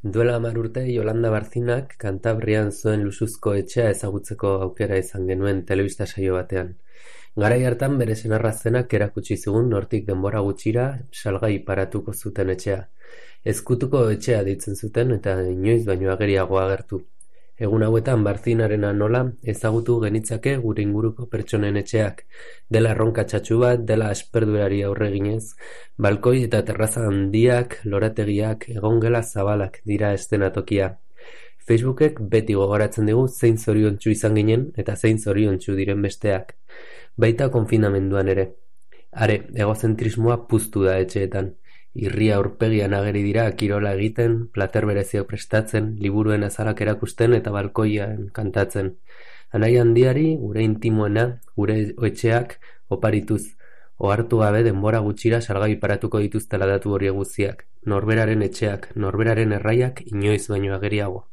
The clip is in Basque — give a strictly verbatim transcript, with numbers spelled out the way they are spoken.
Duela hamar urte Yolanda Barcinak Kantabrian zuen luxuzko etxea ezagutzeko aukera izan genuen telebista saio batean. Garai hartan bere senarra zenak erakutsi zigun nortik denbora gutxira salgai paratuko zuten etxea. Ezkutuko etxea deitzen zuten eta inoiz baino ageriago agertu. Egun hauetan Barcinarena nola ezagutu genitzake gure inguruko pertsonen etxeak, dela erronka txatxu bat, dela asperduerari aurre eginez, balkoi eta terraza handiak, lorategiak, egongela zabalak dira eszenatokia. Facebookek beti gogoratzen digu zein zoriontsu izan ginen eta zein zoriontsu diren besteak. Baita konfinamenduan ere. Are, egozentrismoa puztu da etxeetan. Irria aurpegian ageri dira kirola egiten, plater bereziak prestatzen, liburuen azalak erakusten eta balkoian kantatzen. Anai handiari, gure intimoena, gure etxeak oparituz, ohartu gabe denbora gutxira salgai paratuko dituztela datu horiek guztiak. Norberaren etxeak, norberaren erraiak inoiz baino ageriago.